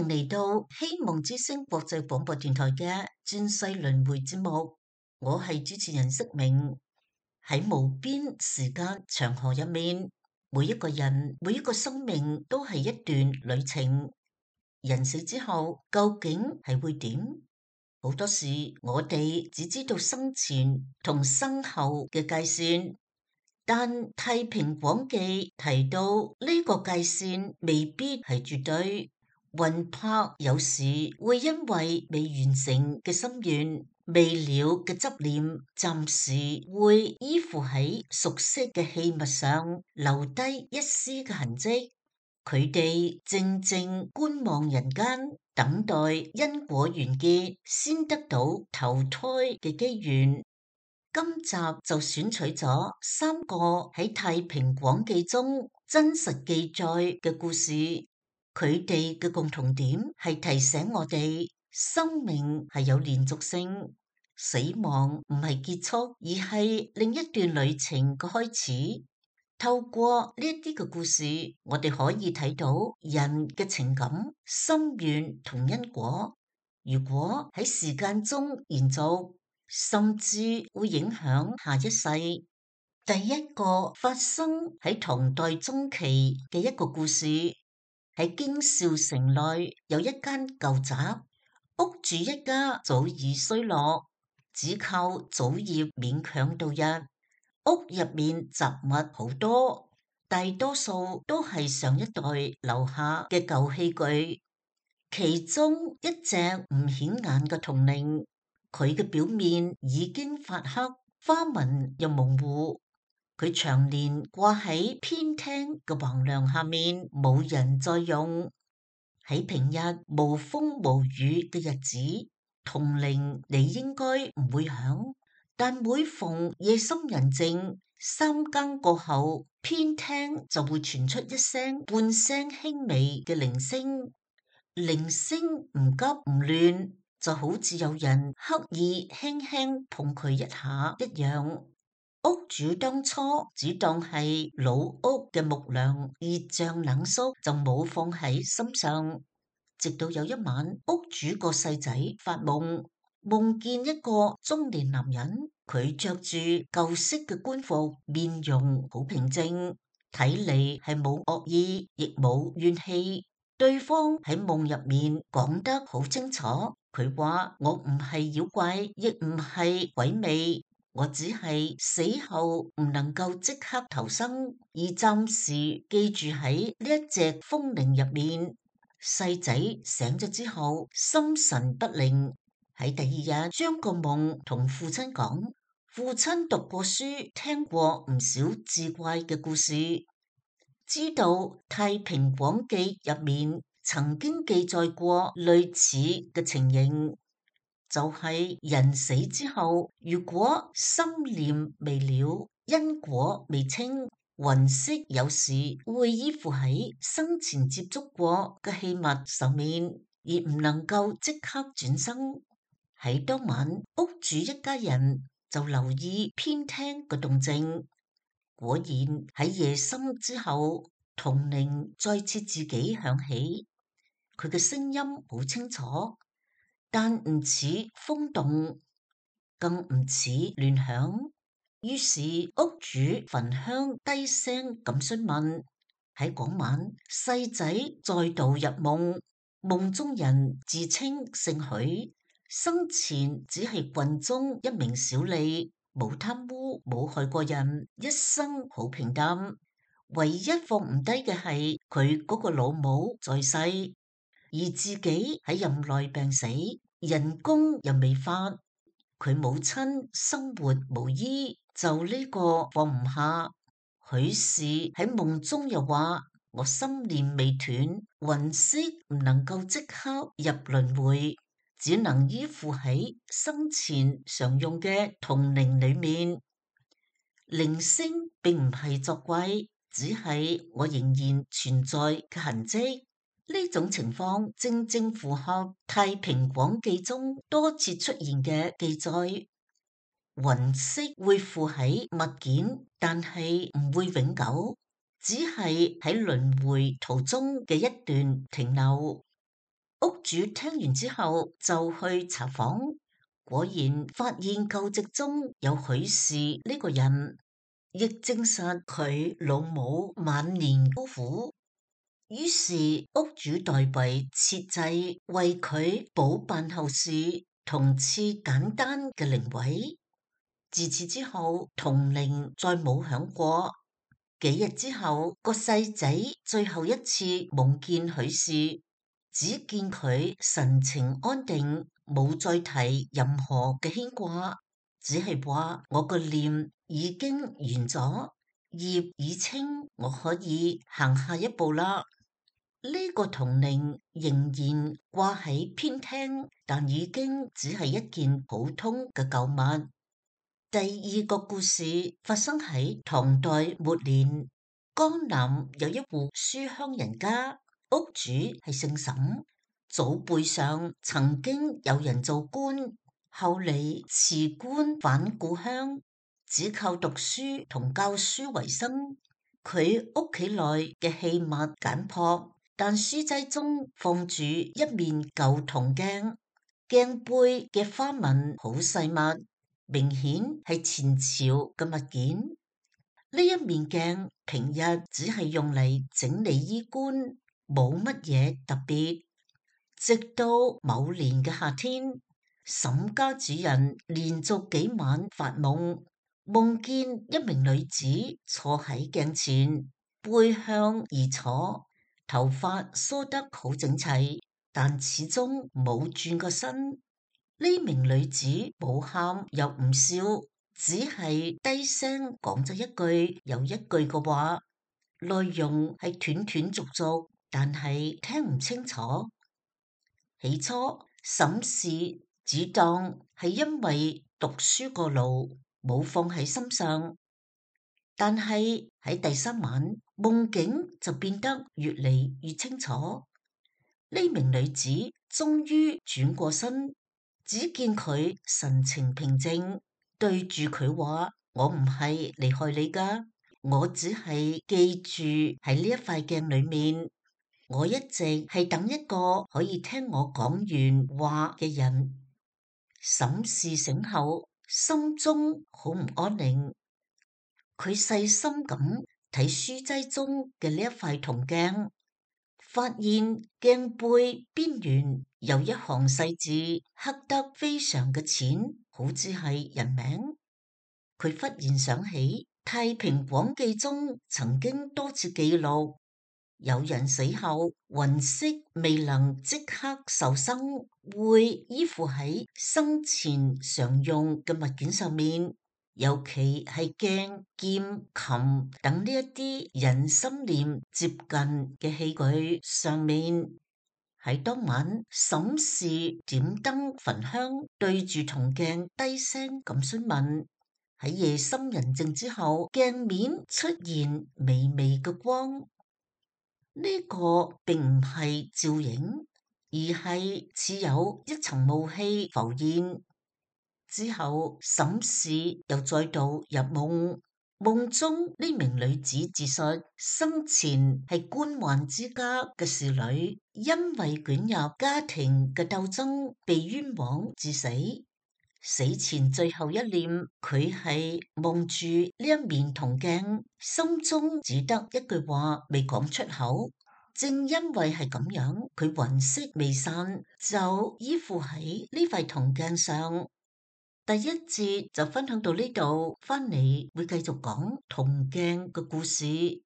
迎嚟到希望之聲國際廣播電台嘅轉世輪迴節目，我係主持人釋明。喺無邊時間長河入面，每一個人、每一個生命都係一段旅程。人死之後究竟係會點？好多時我哋只知道生前同生後嘅界線。但《太平廣記》提到呢個界線未必係絕對，魂魄有時會因為未完成嘅心願、未了嘅執念，暫時會依附喺熟悉嘅器物上，留低一絲嘅痕跡。佢哋靜靜觀望人間，等待因果完結，先得到投胎嘅機緣。今集就選取咗3個喺《太平廣記》中真實記載嘅故事，佢哋嘅共同點係提醒我哋，生命係有連續性，死亡唔係結束，而係另一段旅程嘅開始。透過呢一啲嘅故事，我哋可以睇到人嘅情感、心願同因果，如果喺時間中延續，甚至會影響下一世。第一個發生喺唐代中期嘅一個故事，喺京兆城內有一間舊宅，屋主一家早已衰落，只靠祖業勉強度日。屋入面雜物好多，大多數都係上一代留下嘅舊器具，其中一隻唔顯眼嘅銅鈴，佢嘅表面已經發黑，花紋又模糊。佢長年掛喺偏廳嘅橫梁下面，冇人再用。喺平日無風無雨嘅日子，銅鈴你應該唔會響，但每逢夜深人靜，3更過後，偏廳就會傳出一聲半聲輕微嘅鈴聲。鈴聲唔急唔亂，就好似有人刻意輕輕碰佢一下一樣。屋主當初只當係老屋嘅木梁熱脹冷縮，就冇放喺心上。直到有一晚，屋主個細仔發夢，夢見一個中年男人，佢着住舊式嘅官服，面容好平靜，睇嚟係冇惡意，亦冇怨氣。對方喺夢入面講得好清楚，佢話我唔係妖怪，亦唔係鬼魅，我只係死後唔能夠即刻投生，而暫時記住喺呢一隻風鈴入面。細仔醒咗之後，心神不寧，喺第二日將個夢同父親講。父親讀過書，聽過唔少志怪嘅故事，知道《太平廣記》入面曾經記載過類似嘅情形，就係人死之後，如果心念未了，因果未清，魂魄有時會依附喺生前接觸過嘅器物上面，而唔能夠即刻轉生。喺當晚，屋主一家人就留意偏廳嘅動靜。果然喺夜深之後，銅鈴再次自己響起，佢嘅聲音好清楚，但唔似風動，更唔似亂響。於是屋主焚香低聲咁詢問。喺嗰晚，細仔再度入夢，夢中人自稱姓許，生前只係郡中一名小吏，冇貪污，冇害過人，一生好平淡。唯一放唔低嘅係佢嗰個老母在世，而自己喺任內病死，人工又未發，佢母親生活無依，就呢個放唔下。許氏喺夢中又話：我心念未斷，魂魄唔能夠即刻入輪迴，只能依附喺生前常用嘅銅鈴裏面。鈴聲並唔係作怪，只係我仍然存在嘅痕跡。呢種情況正正符合《太平廣記》中多次出現嘅記載。魂魄會附喺物件，但係唔會永久，只係喺輪迴途中嘅一段停留。屋主聽完之後就去查訪，果然發現舊籍中有許氏呢個人，亦證實佢老母晚年孤苦。於是屋主代為設祭為佢補辦後事，同賜簡單嘅靈位。自此之後，銅鈴再冇響過。幾日之後，個細仔最後一次夢見許氏，只見佢神情安定，冇再提任何嘅牽掛，只係話我個念已經完咗，業已清，我可以行下一步啦。呢個銅鈴仍然掛喺偏廳，但已經只係一件普通嘅舊物。第二個故事發生喺唐代末年，江南有一戶書香人家，屋主係姓沈，祖輩上曾經有人做官，後嚟辭官返故鄉，只靠讀書同教書為生。佢屋企內嘅器物簡樸，但書齋中放住一面舊銅鏡，鏡背嘅花紋好細密，明顯係前朝嘅物件。呢一面鏡平日只係用嚟整理衣冠，冇乜嘢特別。直到某年嘅夏天，沈家主人連續幾晚發夢，夢見一名女子坐喺鏡前，背向而坐，頭髮梳得好整齊，但始終冇轉過身。呢名女子冇喊又唔笑，只係低聲講咗一句又一句嘅話，內容係斷斷續續，但係聽唔清楚。起初沈氏只當係因為讀書過勞，冇放喺心上，但係喺第三晚夢境就變得越嚟越清楚。呢名女子終於轉過身，只見佢神情平靜，對住佢話：我唔係離開你噶，我只係記住喺呢一塊鏡裏面，我一直係等一個可以聽我講完話嘅人。沈氏醒後，心中好唔安寧，佢細心咁睇書齋中嘅呢一塊銅鏡，發現鏡背邊緣有一行細字，刻得非常嘅淺，好似係人名。佢忽然想起《太平廣記》中曾經多次記錄，有人死後魂魄未能即刻受生，會依附喺生前常用嘅物件上面。尤其係鏡、劍、琴等呢一啲人心念接近嘅器具上面。喺當晚，沈氏點燈焚香，對住銅鏡低聲咁詢問。喺夜深人靜之後，鏡面出現微微嘅光。呢個並唔係照影，而係似有一層霧氣浮現。之後，沈氏又再度入夢，夢中呢名女子自述生前係官宦之家嘅侍女，因為捲入家庭嘅鬥爭被冤枉致死。死前最後一念，佢係望住呢一面銅鏡，心中只得一句話未講出口。正因為係咁樣，佢魂魄未散，就依附喺呢塊銅鏡上。第一節就分享到呢度，翻嚟會繼續講銅鏡嘅故事。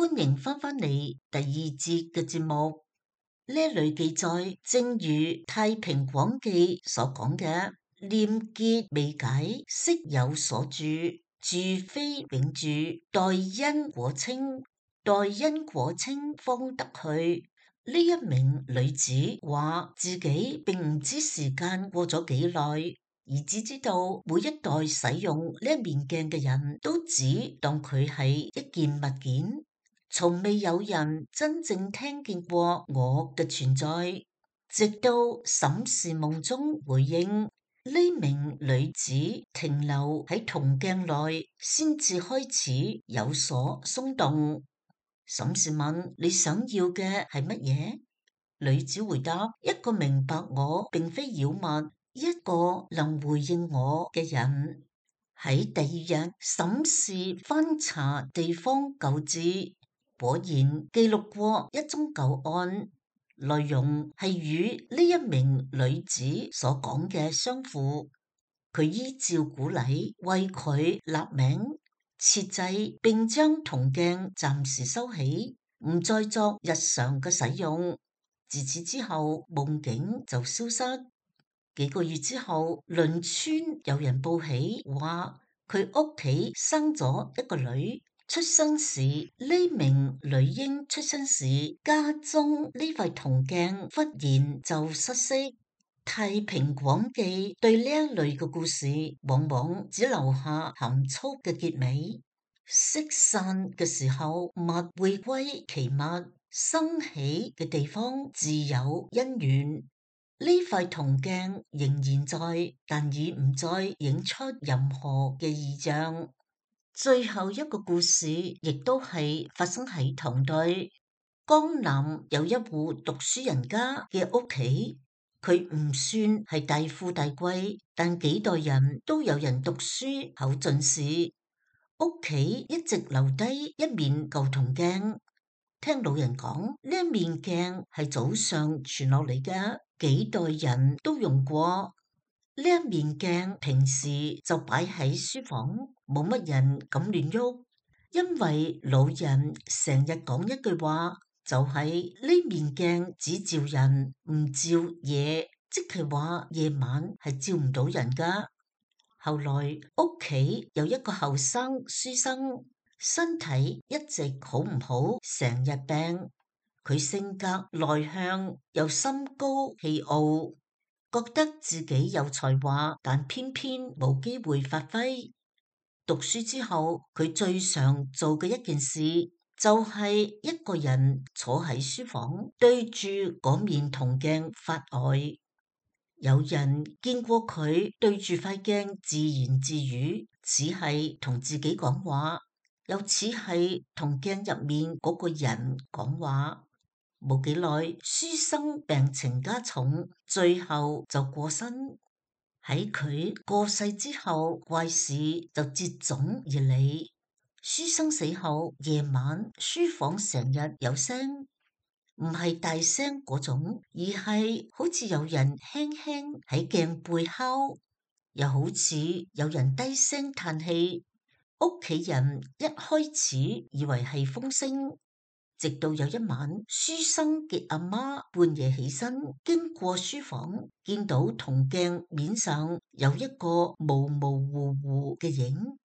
歡迎返嚟第二節嘅節目。呢一類記載，正如《太平廣記》所講嘅，念結未解，悉有所住，住非永住，待因果清，待因果清方得去。呢一名女子話自己並唔知時間過咗幾耐，而只知道每一代使用呢一面鏡嘅人都只當佢係一件物件，從未有人真正聽見過我嘅存在。直到審視夢中回應，呢名女子停留喺銅鏡內，先至開始有所鬆動。審視問：你想要嘅係乜嘢？女子回答：一個明白我並非妖物，一個能回應我嘅人。喺第二日審視翻查地方舊誌，果然記錄過一宗舊案，內容係與呢一名女子所講嘅相符。佢依照古禮為佢立名設製，並將銅鏡暫時收起，唔再作日常嘅使用。自此之後，夢境就消失。幾個月之後，鄰村有人報喜，話佢屋企生咗一個女。出生時，呢名女嬰出生時，家中呢塊銅鏡忽然就失色。太平廣記對呢一類嘅故事，往往只留下含蓄嘅結尾。色散嘅時候，物會歸其物，生起嘅地方自有因緣。呢塊銅鏡仍然在，但已唔再映出任何嘅異象。最後一個故事亦都係發生喺唐代，江南有一戶讀書人家嘅屋企。佢唔算係大富大貴，但幾代人都有人讀書考進士。屋企一直留低一面舊銅鏡，聽老人講，呢一面鏡係祖上傳落嚟嘅，幾代人都用過。呢一面鏡平時就擺喺書房，冇乜人敢亂喐，因為老人成日講一句話。就係呢面鏡只照人唔照夜，即係話夜晚係照唔到人噶。後來屋企有一個後生書生，身體一直好唔好，成日病。佢性格內向又心高氣傲，覺得自己有才華，但偏偏冇機會發揮。讀書之後，佢最常做嘅一件事，就係一個人坐喺書房，對住嗰面銅鏡發呆。有人見過佢對住塊鏡自言自語，似係同自己講話，又似係同鏡入面嗰個人講話。冇幾耐，書生病情加重，最後就過身。喺佢過世之後，怪事就接踵而嚟。書生死後，夜晚書房成日有聲，唔係大聲嗰種，而係好似有人輕輕喺鏡背敲，又好似有人低聲嘆氣。屋企人一開始以為係風聲，直到有一晚，書生嘅阿媽半夜起身，經過書房，見到銅鏡面上有一個模模糊糊嘅影。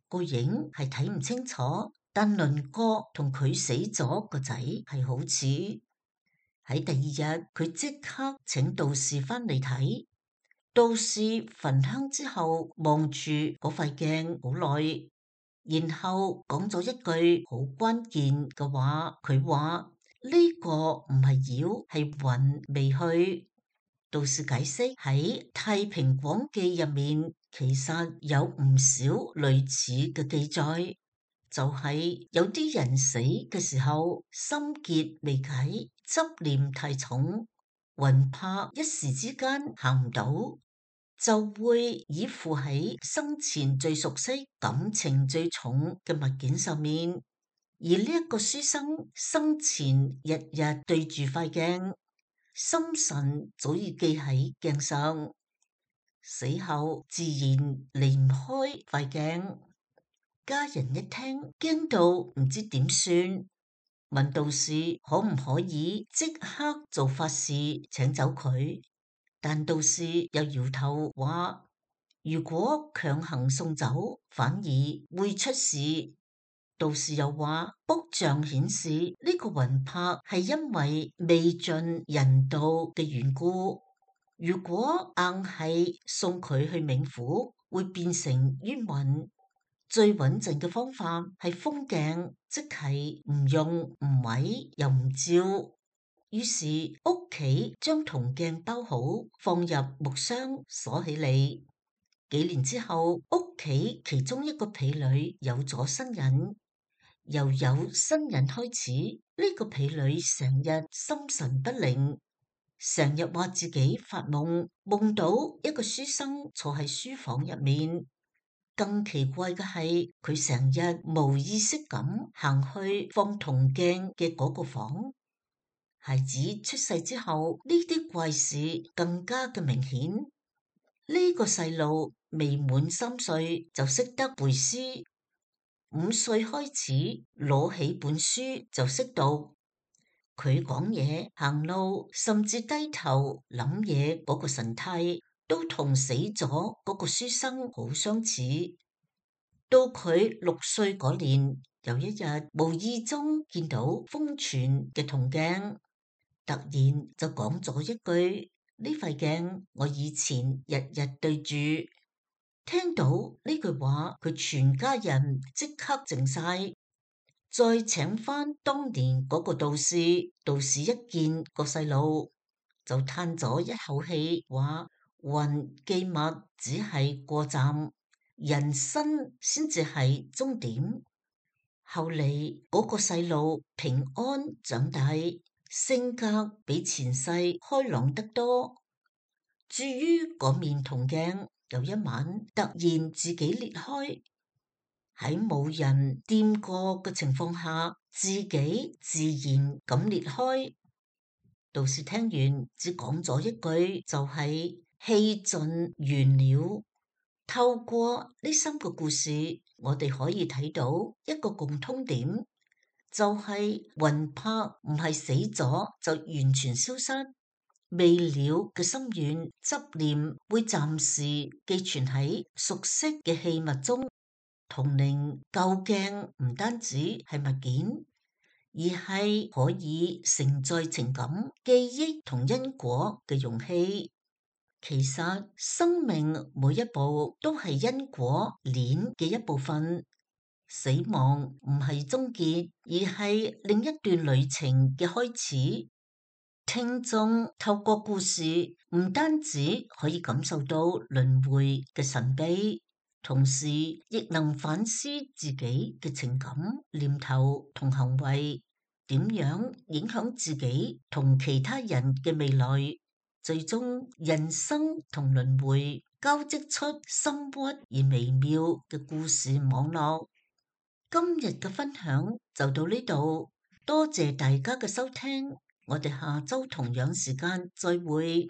個影係睇唔清楚，但輪廓同佢死咗個仔係好似。喺第二日，佢即刻請道士翻嚟睇。道士焚香之後，望住嗰塊鏡好耐，然後講咗一句好關鍵嘅話。佢話呢個唔係妖，係魂未去。道士解釋喺《太平廣記》入面，其實有唔少類似嘅記載，就係有啲人死嘅時候，心結未解，執念太重，魂魄一時之間行唔到，就會依附喺生前最熟悉、感情最重嘅物件上面。而呢一個書生生前日日對住塊鏡，心神早已記喺鏡上，死後自然離唔開塊鏡。家人一聽，驚到唔知點算。問道士可唔可以即刻做法事請走佢，但道士又搖頭話：如果強行送走，反而會出事。道士又話：卜象顯示呢個魂魄係因為未盡人道嘅緣故，如果硬係送佢去冥府，會變成冤魂。最穩陣嘅方法係封鏡，即係唔用唔毀又唔照。於是屋企將銅鏡包好，放入木箱鎖起嚟。幾年之後，屋企其中一個婢女有咗身孕，由有身孕開始，呢個婢女成日心神不寧，成日話自己發夢，夢到一個書生坐喺書房入面。更奇怪嘅係，佢成日無意識咁行去放銅鏡嘅嗰個房。孩子出世之後，呢啲怪事更加嘅明顯。呢個細路未滿3歲就識得背詩，5歲開始攞起本書就識讀。佢講嘢、行路，甚至低頭諗嘢嗰個神態，都同死咗嗰個書生好相似。到佢6歲嗰年，有一日無意中見到封存嘅銅鏡，突然就講咗一句：呢塊鏡我以前日日對住。聽到呢句話，佢全家人即刻靜晒。再請翻當年嗰個道士，道士一見個細路就嘆咗一口氣，話魂寄物只係過站，人生先至係終點。後嚟嗰個細路平安長大，性格比前世開朗得多。至於嗰面銅鏡，有一晚突然自己裂開，喺冇人掂過嘅情況下，自己自然咁裂開。道士聽完只講咗一句，就係氣盡完了。透過呢3個故事，我哋可以睇到一個共通點，就係魂魄唔係死咗就完全消失，未了嘅心願執念會暫時寄存喺熟悉嘅器物中。銅鈴舊鏡唔單止係物件，而係可以承載情感、記憶同因果嘅容器。其實生命每一步都係因果鏈嘅一部分，死亡唔係終結，而係另一段旅程嘅開始。聽眾透過故事唔單止可以感受到輪迴嘅神秘，同時亦能反思自己嘅情感、念頭同行為，點樣影響自己同其他人嘅未來。最終人生同輪迴交織出深鬱而微妙嘅故事網絡。今日嘅分享就到呢度，多謝大家嘅收聽，我哋下周同樣時間再會。